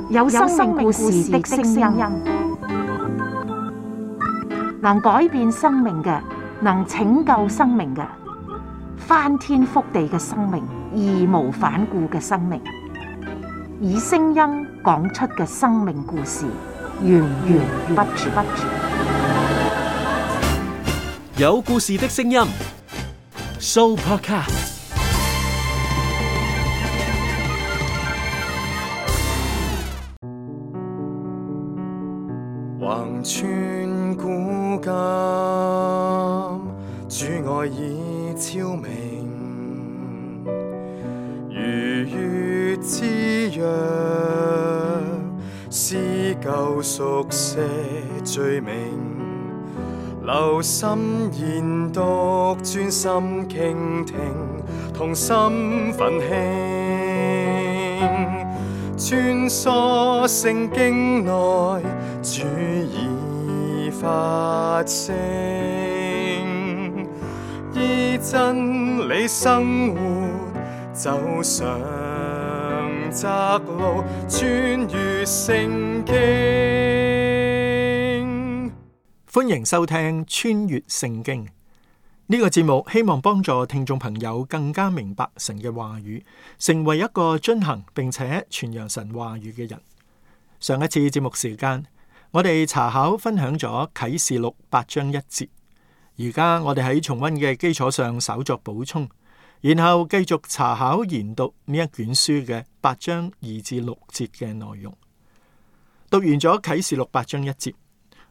有生命故事的聲音，能改變生命嘅，能拯救生命嘅，翻天覆地嘅生命，義無反顧嘅生命，以聲音講出嘅生命故事，源源不絕。有故事的聲音 ，Sooopodcast。橫穿古今，主愛已超明，如月之約，撕舊熟寫罪名，留心研讀，專心傾聽，同心奮興，穿梭聖經內，主已發聲，依真理生活，走上窄路，穿越聖經。歡迎收聽穿越聖經呢個節目，希望幫助聽眾朋友更加明白神嘅話語，成為一個遵行並且傳揚神話語嘅人。上一次節目時間，我哋查考分享咗啟示錄8章1節，而家我哋喺重溫嘅基礎上稍作補充，然後繼續查考研讀呢一卷書嘅8章2至6節嘅內容。讀完咗啟示錄8章1節，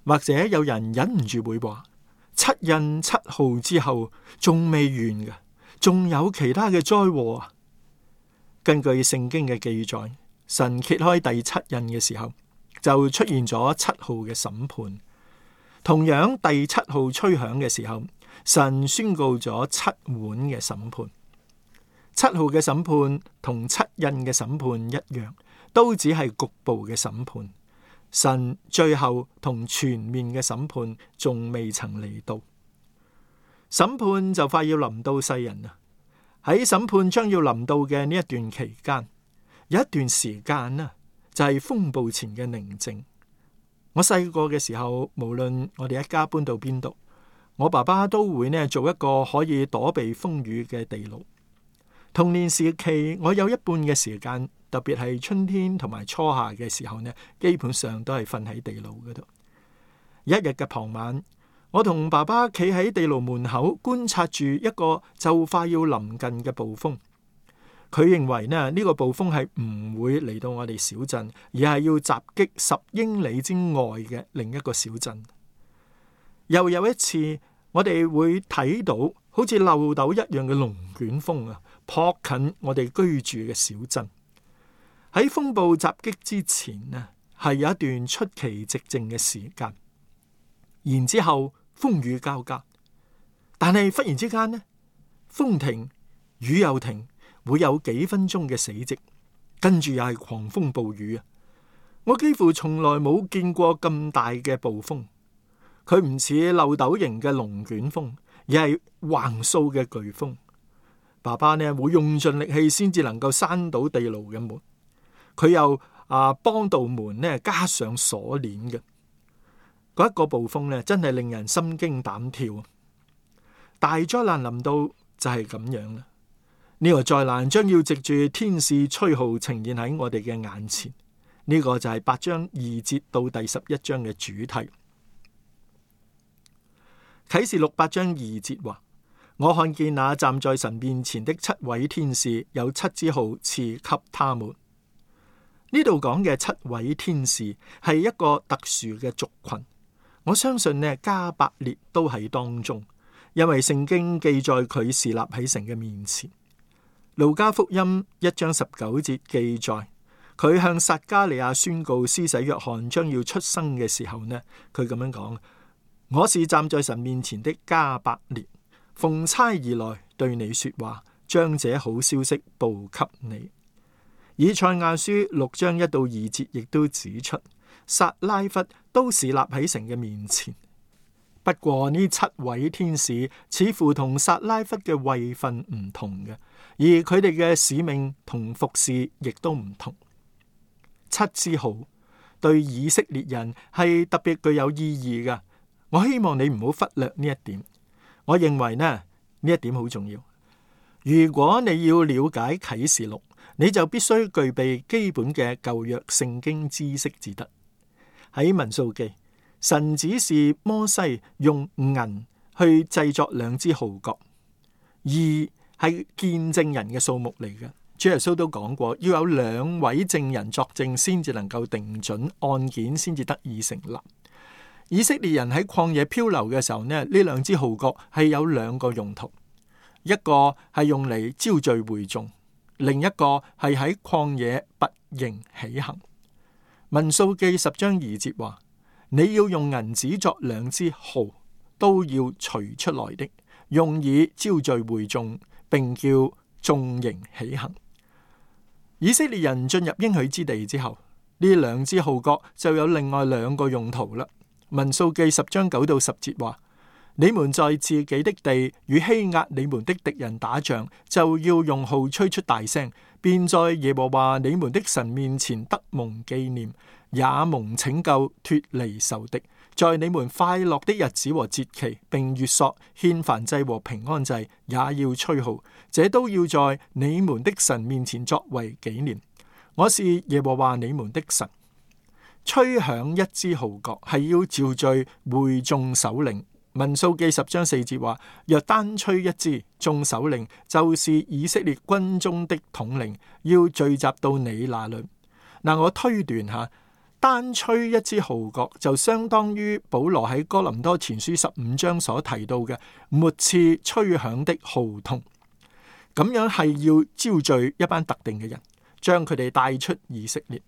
或者有人忍唔住會話，7印7號之後仲未完嘅，仲有其他嘅災禍啊。根據聖經嘅記載，神揭開第7印嘅時候，就出現咗7號嘅審判。同樣第7號吹響嘅時候，神宣告咗7碗嘅審判。7號嘅審判同7印嘅審判一樣，都只係局部嘅審判。神最後同全面嘅審判仲未曾嚟到，審判就快要臨到世人啦。喺審判將要臨到嘅呢一段期間，有一段時間呢，就係風暴前嘅寧靜。我細個嘅時候，無論我哋一家搬到邊度，我爸爸都會呢做一個可以躲避風雨嘅地牢。童年時期，我有一半嘅時間，特別係春天同埋初夏嘅時候呢，基本上都係瞓喺地牢嗰度。一日嘅傍晚，我同爸爸企喺地牢門口觀察住一個就快要臨近嘅暴風。佢認為呢個暴風係唔會嚟到我哋小鎮，而係要襲擊10英里之外嘅另一個小鎮。又有一次，我哋會睇到好似漏斗一樣嘅龍捲風啊，撲近我哋居住嘅小鎮。喺風暴襲擊之前呢，係有一段出奇寂靜嘅時間，然之後風雨交加，但係忽然之間呢，風停雨又停，會有幾分鐘嘅死寂，跟住又係狂風暴雨啊！我幾乎從來冇見過咁大嘅暴風，佢唔似漏斗型嘅龍捲風，而係橫掃嘅颶風。爸爸呢會用盡力氣先至能夠閂到地牢嘅門，佢又幫道門呢加上鎖鏈嘅。嗰一個暴風呢，真係令人心驚膽跳。大災難臨到就係咁樣啦。呢個災難將要藉住天使吹號呈現喺我哋嘅眼前。呢個就係8章2節到第11章嘅主題。啟示錄8章2節話：我看見那站在神面前的7位天使，有7支號賜給他們。呢度講嘅7位天使係一個特殊嘅族群。我相信呢，加百列都喺當中，因為聖經記載佢侍立喺神嘅面前。路加福音1章19節記載，佢向撒迦利亞宣告施洗約翰將要出生嘅時候呢，佢咁樣講：我是站在神面前的加百列，奉差而來對你說話，將這好消息報給你。以賽亞書6章1到2節亦都指出，撒拉弗都侍立喺神嘅面前。不過呢7位天使似乎同撒拉弗嘅位份唔同嘅，而佢哋嘅使命同服侍亦都唔同。7支號對以色列人係特別具有意義嘅。我希望你唔好忽略呢一點。我認為呢一點好重要。如果你要了解啟示錄，你就必須具備基本嘅舊約聖經知識至得。喺民數記，神指示摩西用銀去製作2支號角，2係見證人嘅數目嚟嘅。主耶穌都講過，要有2位證人作證，先至能夠定準案件，先至得以成立。以色列人喺曠野漂流嘅時候呢，2支號角係有2個用途，一個係用嚟招聚會眾，另一個係喺曠野拔營起行。民數記10章2節話：你要用銀子作2支號，都要除出來的，用以招聚會眾，並叫眾營起行。以色列人進入應許之地之後，呢2支號角就有另外2個用途啦。民數記10章9到10節話：你們在自己的地與欺壓你們的敵人打仗，就要用號吹出大聲，便在耶和華你們的神面前得蒙紀念，也蒙拯救脫離仇敵。在你們快樂的日子和節期，並月朔、獻燔祭和平安祭，也要吹號，這都要在你們的神面前作為紀念。我是耶和華你們的神。吹響1支號角係要召聚會眾首領。民數記10章4節話：若單吹1支，眾首領就是以色列軍中的統領，要聚集到你那裏。我推斷下，單吹1支號角就相當於保羅喺哥林多前書15章所提到嘅末次吹響的號筒。咁樣係要招聚一班特定嘅人，將佢哋帶出以色列。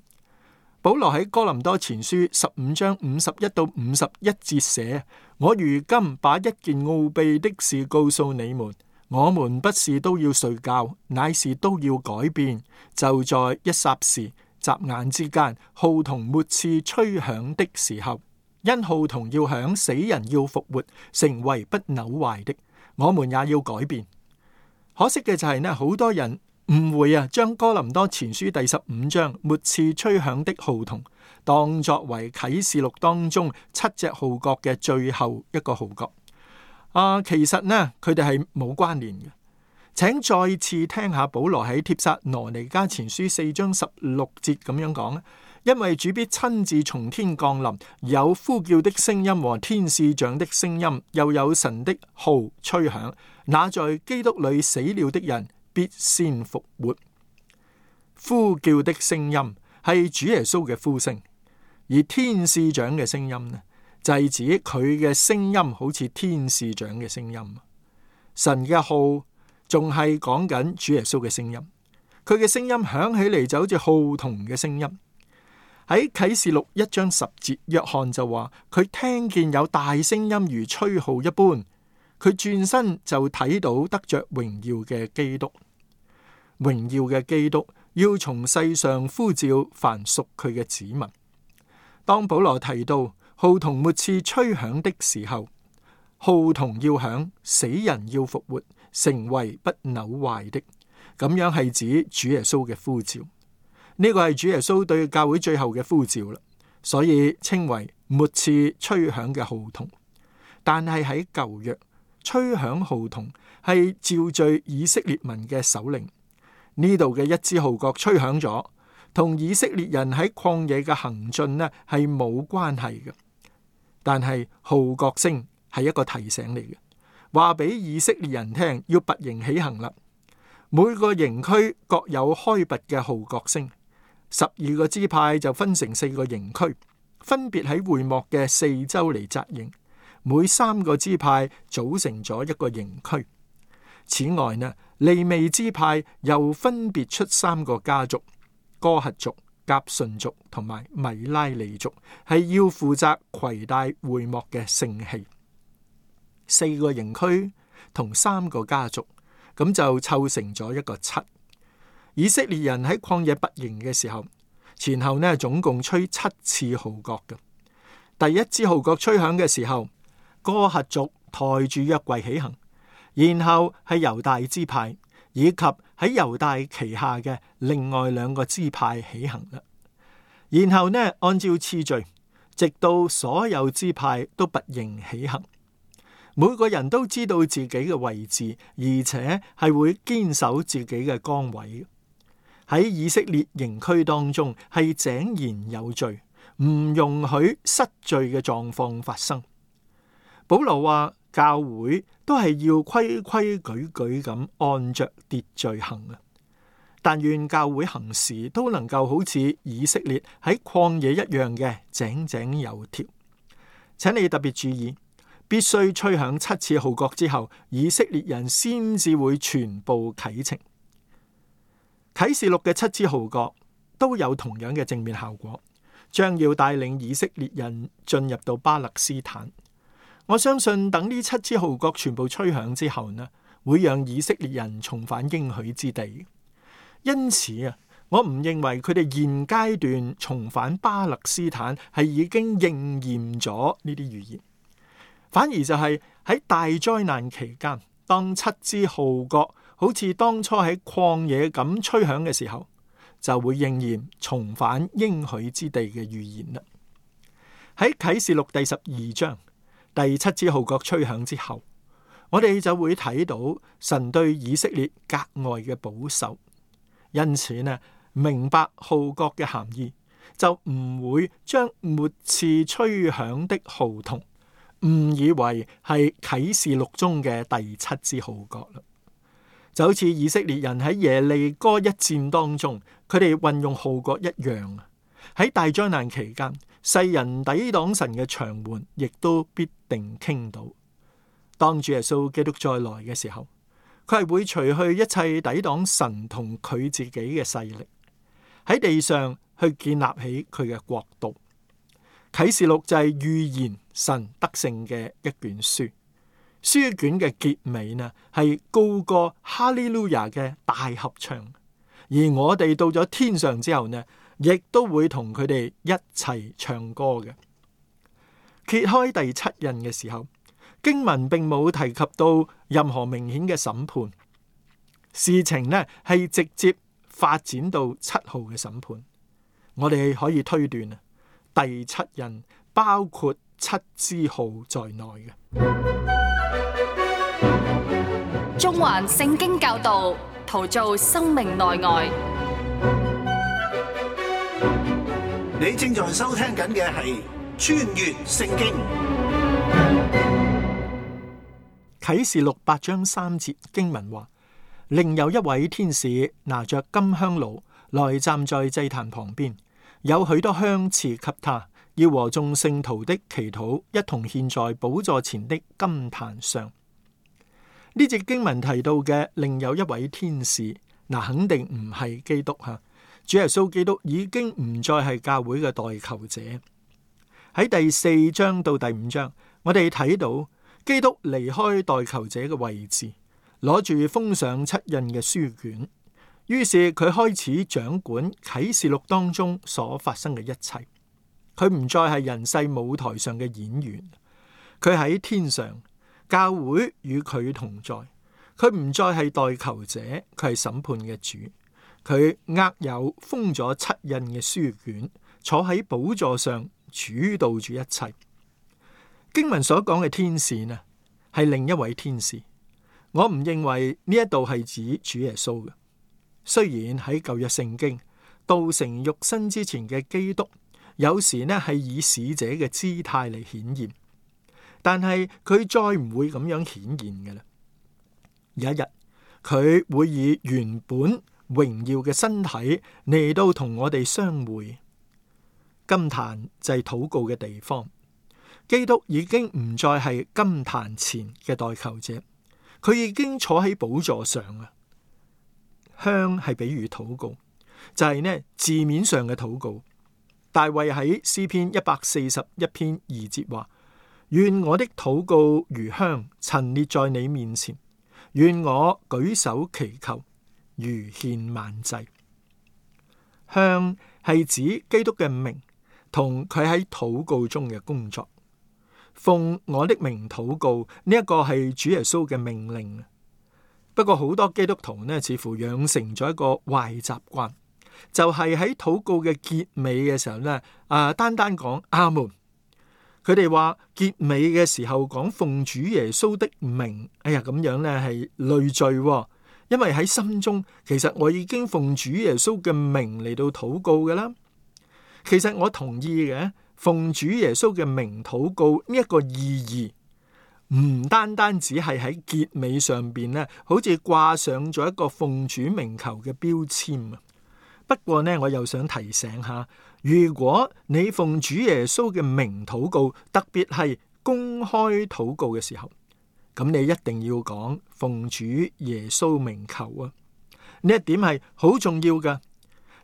保羅喺哥林多前書15章51到51節寫：我如今把一件奧秘的事告訴你們，我們不是都要睡覺，乃是都要改變。就在一霎時、眨眼之間，號筒末次吹響的時候，因號筒要響，死人要復活，成為不朽壞的，我們也要改變。可惜嘅就係呢，好多人誤會將哥林多前書第15章末次吹響的號筒當作為啟示錄當中7隻號角嘅最後一個號角。其實呢，佢哋係冇關聯嘅。請再次聽下保羅喺帖撒羅尼迦前書4章16節咁樣講，因為主必親自從天降臨，有呼叫的聲音和天使長的聲音，又有神的號吹響，那在基督裏死了的人必先復活。呼叫的聲音係主耶穌嘅呼聲，而天使長嘅聲音呢，就係指佢嘅聲音好似天使長嘅聲音。神嘅號仲係講緊主耶穌嘅聲音，佢嘅聲音響起嚟就好似號筒嘅聲音。喺啟示錄1章10節，約翰就話佢聽見有大聲音如吹號一般，佢轉身就睇到得着榮耀嘅基督。榮耀嘅基督要從世上呼召凡屬佢嘅子民。當保羅提到號筒末次吹響的時候，號筒要響，死人要復活，成為不朽壞的，咁樣係指主耶穌嘅呼召。呢個係主耶穌對教會最後嘅呼召啦，所以稱為末次吹響嘅號筒。但係喺舊約，吹響號筒係召聚以色列民嘅首領。呢度嘅1支號角吹響咗，同以色列人喺曠野嘅行進呢係冇關係嘅。但係號角聲係一個提醒嚟嘅，話俾以色列人聽要拔營起行啦。每個營區各有開拔嘅號角聲，12個支派就分成4個營區，分別喺會幕嘅4周嚟紮營，每3個支派組成咗一個營區。此外呢，利未支派又分別出3個家族，哥轄族、革順族同埋米拉利族，係要負責攜帶會幕嘅聖器。4個營區同3個家族，咁就湊成咗一個7。以色列人喺曠野拔營嘅時候，前後呢總共吹7次號角嘅。第1支號角吹響嘅時候，哥轄族抬住約櫃起行，然後係猶大支派以及喺猶大旗下嘅另外2個支派起行啦。然後呢，按照次序，直到所有支派都拔營起行，每個人都知道自己嘅位置，而且係會堅守自己嘅崗位。喺以色列營區當中係井然有序，唔容許失序嘅狀況發生。保羅話教會都係要規規矩矩咁按着秩序行啊！但願教會行事都能夠好似以色列喺曠野一樣嘅井井有條。請你特別注意，必須吹響7次號角之後，以色列人先至會全部啟程。啟示錄嘅7支號角都有同樣嘅正面效果，將要帶領以色列人進入到巴勒斯坦。我相信等呢7支號角全部吹響之後呢，會讓以色列人重返應許之地。因此啊，我唔認為佢哋現階段重返巴勒斯坦係已經應驗咗呢啲預言，反而就係喺大災難期間，當7支號角好似當初喺曠野咁吹響嘅時候，就會應驗重返應許之地嘅預言啦。喺啟示錄第12章第7支號角吹響之後，我哋就會睇到神對以色列格外嘅保守。因此呢，明白號角嘅含義，就唔會將末次吹響的號筒誤以為係啟示錄中嘅第7支號角啦。就好似以色列人喺耶利哥一戰當中，佢哋運用號角一樣。喺大災難期間，世人抵擋神嘅牆門，亦都必定傾倒。當主耶穌基督再來嘅時候，佢係會除去一切抵擋神同佢自己嘅勢力，喺地上去建立起佢嘅國度。啟示錄就係預言神得勝嘅一卷書，書卷嘅結尾呢係高歌哈利路亞嘅大合唱，而我哋到咗天上之後呢，亦都會同佢哋一齊唱歌嘅。揭開第7印嘅時候，經文並冇提及到任何明顯嘅審判，事情呢係直接發展到7號嘅審判。我哋可以推斷第7印包括7支號在內嘅。中環聖經教導，陶造生命內外。你正在收聽緊嘅係穿越聖經。啟示錄8章3節經文話，另有一位天使拿着金香爐來站在祭壇旁邊，有許多香賜給他，要和眾聖徒的祈禱一同獻在寶座前的金壇上。呢節經文提到嘅另有一位天使，肯定唔係基督吓。主耶穌基督已經唔再係教會嘅代求者。喺第4章到第5章，我哋睇到基督離開代求者嘅位置，攞住封上7印嘅書卷，於是佢開始掌管啟示錄當中所發生嘅一切。佢唔再係人世舞台上嘅演員，佢喺天上，教會與佢同在。佢唔再係代求者，佢係審判嘅主。佢握有封咗7印嘅書卷，坐喺寶座上主導住一切。經文所講嘅天使呢，係另一位天使。我唔認為呢一度係指主耶穌嘅。雖然喺舊約聖經道成肉身之前嘅基督，有時呢係以使者嘅姿態嚟顯現，但係佢再唔會咁樣顯現嘅啦。有一日佢會以原本榮耀嘅身體嚟到同我哋相會。金壇就係禱告嘅地方。基督已經唔再係金壇前嘅代求者，佢已經坐喺寶座上啊。香係比喻禱告，就係呢字面上嘅禱告。大衛喺詩篇141篇2節話：願我的禱告如香陳列在你面前，願我舉手祈求如獻晚祭。香係指基督嘅名同佢喺禱告中嘅工作。奉我的名禱告，呢一個係主耶穌嘅命令。不過好多基督徒呢，似乎養成咗一個壞習慣，就係喺禱告嘅結尾嘅時候呢，單單講阿門。佢哋話結尾嘅時候講奉主耶穌的名，咁樣呢係累贅，因為喺心中其實我已經奉主耶穌嘅名嚟到禱告㗎啦。其實我同意嘅，奉主耶穌嘅名禱告呢一個意義，唔單單只係喺結尾上邊呢，好似掛上咗一個奉主名求嘅標籤啊。不過呢，我又想提醒下，如果你奉主耶穌嘅名禱告，特別係公開禱告嘅時候，咁你一定要講奉主耶穌名求啊。呢一點係好重要㗎。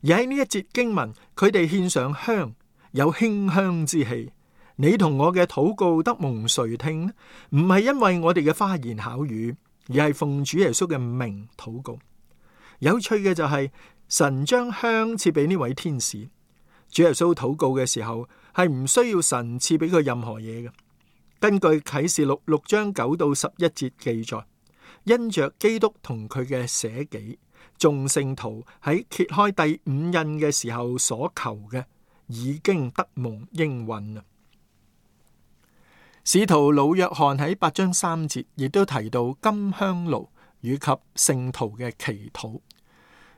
而喺呢一節經文，佢哋獻上香，有馨香之氣。你同我嘅禱告得蒙垂聽呢？唔係因為我哋嘅花言巧語，而係奉主耶穌嘅名禱告。有趣嘅就係，神將香賜俾呢位天使。主耶穌禱告嘅時候係唔需要神賜俾佢任何嘢嘅。根據啟示錄6章9到11節記載，因着基督同佢嘅捨己，眾聖徒喺揭開第五印嘅時候所求嘅，已經得蒙應允啦。使徒老約翰喺8章3節亦都提到金香爐以及聖徒嘅祈禱，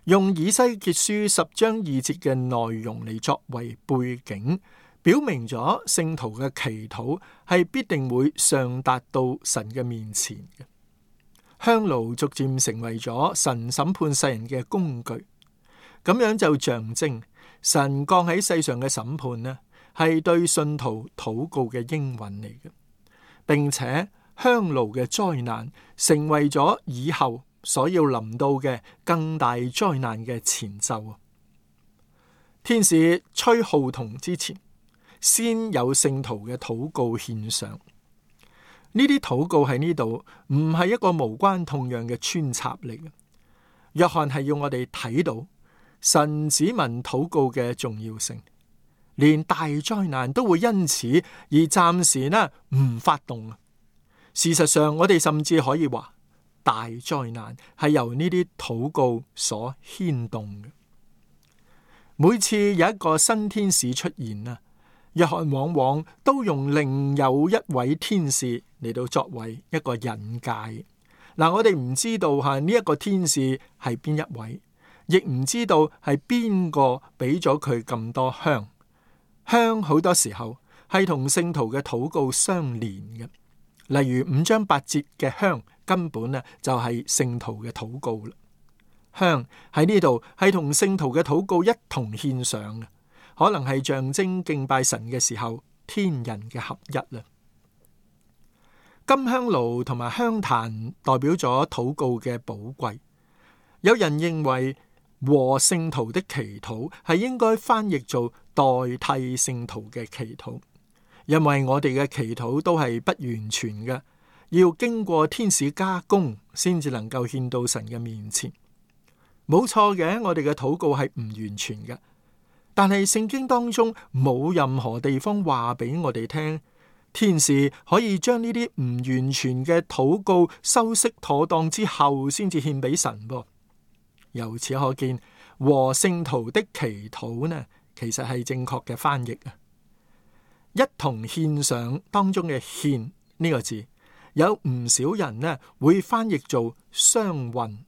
用以西結書10章2節嘅內容嚟作為背景，表明咗聖徒嘅祈禱係必定會上達到神嘅面前嘅。香爐逐漸成為咗神審判世人嘅工具，咁樣就象徵神降喺世上嘅審判呢，係對信徒禱告嘅應允嚟嘅，並且香爐嘅災難成為咗以後所要臨到嘅更大災難嘅前奏。天使吹號筒之前，先有聖徒嘅禱告獻上。呢啲禱告喺呢度唔係一個無關痛癢嘅穿插嚟嘅。約翰係要我哋睇到神子民禱告嘅重要性，連大災難都會因此而暫時唔發動。事實上，我哋甚至可以話，大災難係由呢啲禱告所牽動嘅。每次有一個新天使出現啊，約翰往往都用另有一位天使嚟到作為一個引介。我哋唔知道呢一個天使係邊一位，亦唔知道係邊個俾咗佢咁多香。香好多時候係同聖徒嘅禱告相連嘅，例如5章8節嘅香根本就係聖徒嘅禱告啦。香喺呢度係同聖徒嘅禱告一同獻上嘅，可能係象徵敬拜神嘅時候天人嘅合一啦。金香爐同埋香壇代表咗禱告嘅寶貴。有人認為和聖徒的祈禱係應該翻譯做代替聖徒嘅祈禱，因為我哋嘅祈禱都係不完全嘅，要經過天使加工先至能夠獻到神嘅面前。冇錯嘅，我哋嘅禱告係唔完全嘅，但係聖經當中冇任何地方話俾我哋聽，天使可以將呢啲唔完全嘅禱告修飾妥當之後先至獻俾神噃。由此可見，和聖徒的祈禱呢，其實係正確嘅翻譯啊。一同獻上當中嘅獻呢個字，有唔少人呢會翻譯做相混。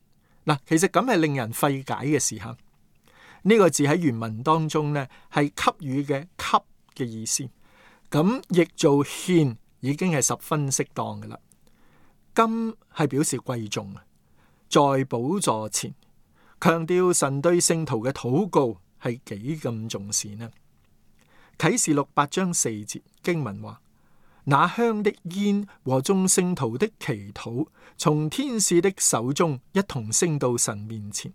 其實咁係令人費解嘅事吓。呢個字喺原文當中呢係給予嘅給嘅意思，咁譯做獻已經係十分適當嘅啦。金係表示貴重，在寶座前強調神對聖徒嘅禱告係幾咁重視呢？啟示錄8章4節經文話：那香的煙和眾聖徒的祈禱，從天使的手中一同升到神面前，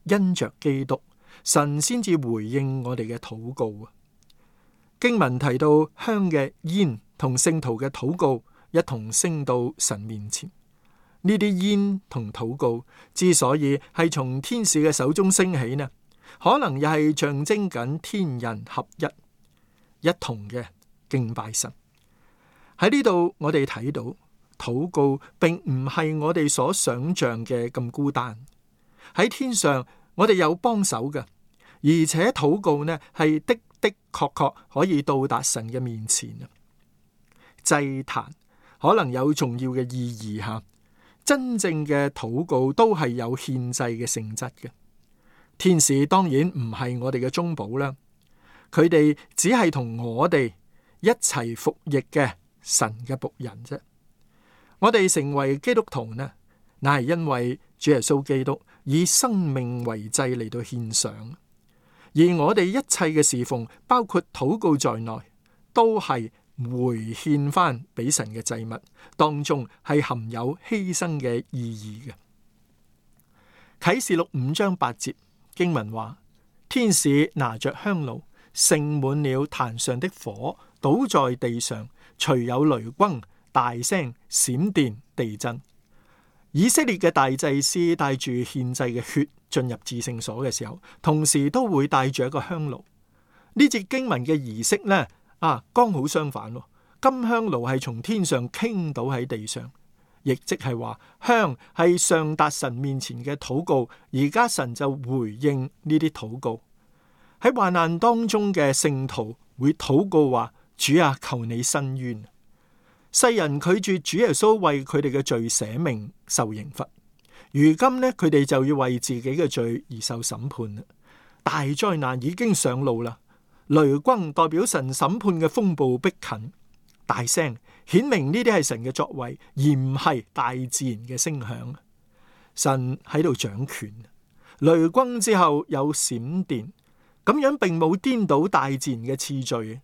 因着基督，神先至回應我哋嘅禱告啊！經文提到香嘅煙同聖徒嘅禱告一同升到神面前，呢啲煙同禱告之所以係從天使嘅手中升起呢，可能又係象徵緊天人合一同嘅敬拜神。喺呢度我哋睇到禱告並唔係我哋所想象嘅咁孤單。喺天上我哋有幫手嘅，而且禱告呢係的確可以到達神嘅面前啊。祭壇可能有重要嘅意義吓，真正嘅禱告都係有獻祭嘅性質嘅。天使當然唔係我哋嘅中保啦，佢哋只係同我哋一齊服役嘅神嘅僕人啫。我哋成為基督徒呢，乃係因為主耶穌基督以生命為祭嚟到獻上，而我哋一切嘅侍奉，包括禱告在內，都係回獻翻俾神嘅祭物，當中係含有犧牲嘅意義嘅。啟示錄5章8節經文話，天使拿着香爐盛滿了壇上的火，倒在地上，隨有雷轟、大聲、閃電、地震。以色列嘅大祭司帶住獻祭嘅血進入至聖所嘅時候，同時都會帶住一個香爐。呢節經文嘅儀式呢，剛好相反。金香爐係從天上傾倒喺地上，亦即係話香係上達神面前嘅禱告，而家神就回應呢啲禱告。喺患難當中嘅聖徒會禱告話：主啊，求你伸冤。世人拒絕主耶穌為佢哋嘅罪捨命受刑罰，如今呢，佢哋就要為自己嘅罪而受審判啦。大災難已經上路啦，雷轟代表神審判嘅風暴逼近，大聲顯明呢啲係神嘅作為，而唔係大自然嘅聲響。神喺度掌權，雷轟之後有閃電，咁樣並冇顛倒大自然嘅次序。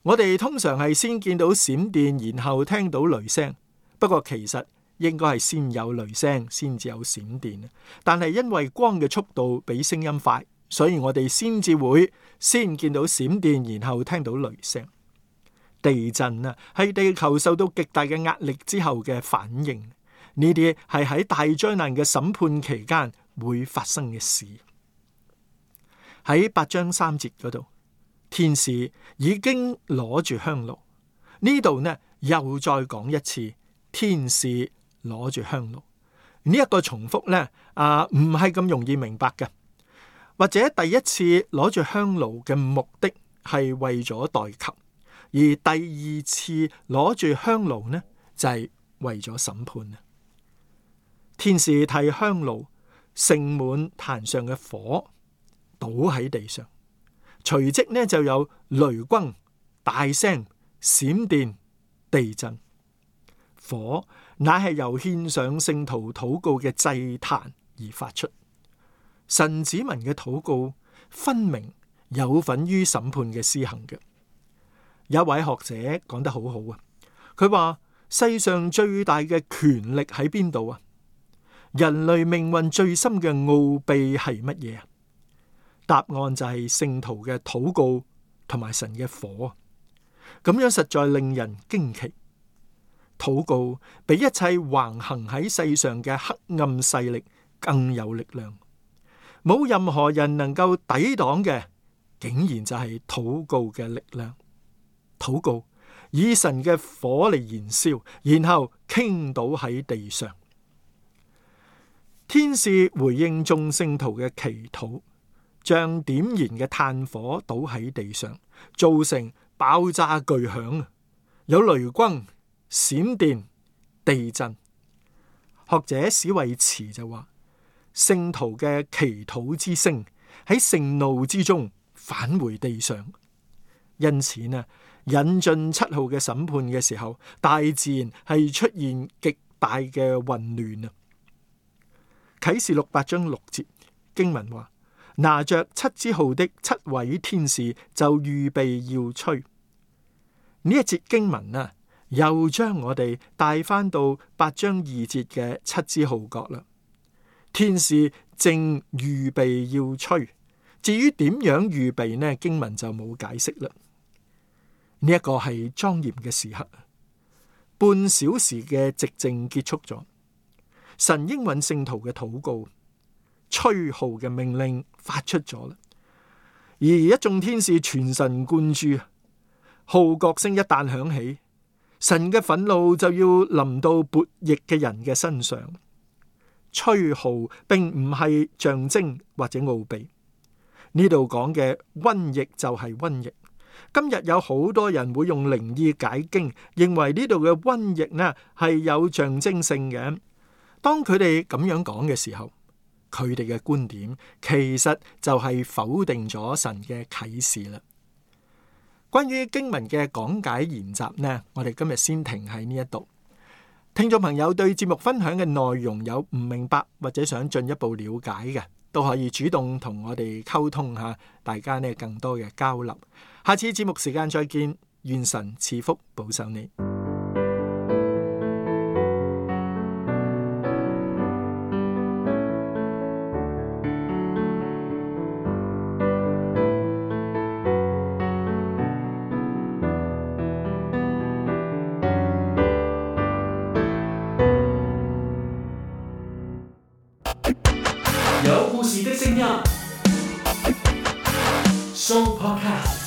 我哋通常係先見到閃電，然後聽到雷聲。不過其實應該係先有雷聲，先至有閃電。但係因為光嘅速度比聲音快，所以我哋先至會先見到閃電，然後聽到雷聲。地震啊，係地球受到極大嘅壓力之後嘅反應。呢啲係喺大災難嘅審判期間會發生嘅事。喺8章3節嗰度，天使已經攞住香爐。呢度呢又再講一次，天使攞住香爐。呢一個重複呢唔係咁容易明白嘅。或者第一次攞住香爐嘅目的係為咗代求，而第二次攞住香爐呢就係為咗審判。天使替香爐盛滿壇上嘅火，倒喺地上，隨即呢就有雷轟、大聲、閃電、地震。火乃係由獻上聖徒禱告嘅祭壇而發出。神子民嘅禱告分明有份於審判嘅施行嘅。有一位學者講得好好啊，佢話世上最大嘅權力喺邊度啊？人類命運最深嘅奧秘係乜嘢啊？答案就係聖徒嘅禱告同埋神嘅火。咁樣實在令人驚奇。禱告比一切橫行喺世上嘅黑暗勢力更有力量。冇任何人能夠抵擋嘅，竟然就係禱告嘅力量。禱告以神嘅火嚟燃燒，然後傾倒喺地上。天使回應眾聖徒嘅祈禱，將點燃嘅炭火倒喺地上，造成爆炸巨響，有雷轟、閃電、地震。學者史維茨就話，聖徒嘅祈禱之聲喺盛怒之中返回地上。因此呢，引進7號嘅審判嘅時候，大自然係出現極大嘅混亂啊！啟示錄8章6節經文話，拿着7支號的7位天使就預備要吹。呢一節經文啊，又將我哋帶翻到8章2節嘅7支號角啦。天使正預備要吹，至於點樣預備呢？經文就冇解釋啦。呢一個係莊嚴嘅時刻，半小時嘅寂靜結束咗。神應允聖徒嘅禱告，吹號嘅命令發出咗啦。而一眾天使全神貫注，號角聲一旦響起，神嘅憤怒就要臨到悖逆嘅人嘅身上。吹號並唔係象徵或者奧秘，呢度講嘅瘟疫就係瘟疫。今日有好多人會用靈意解經，認為呢度嘅瘟疫呢係有象徵性嘅。當佢哋咁樣講嘅時候，佢哋嘅觀點其實就係否定咗神嘅啟示啦。關於經文嘅講解研習呢，我哋今日先停喺呢一度。聽眾朋友對節目分享嘅內容有唔明白或者想進一步了解嘅，都可以主動同我哋溝通下，大家呢更多嘅交流。下次節目時間再見，願神賜福保守你。有故事的聲音，Show Podcast。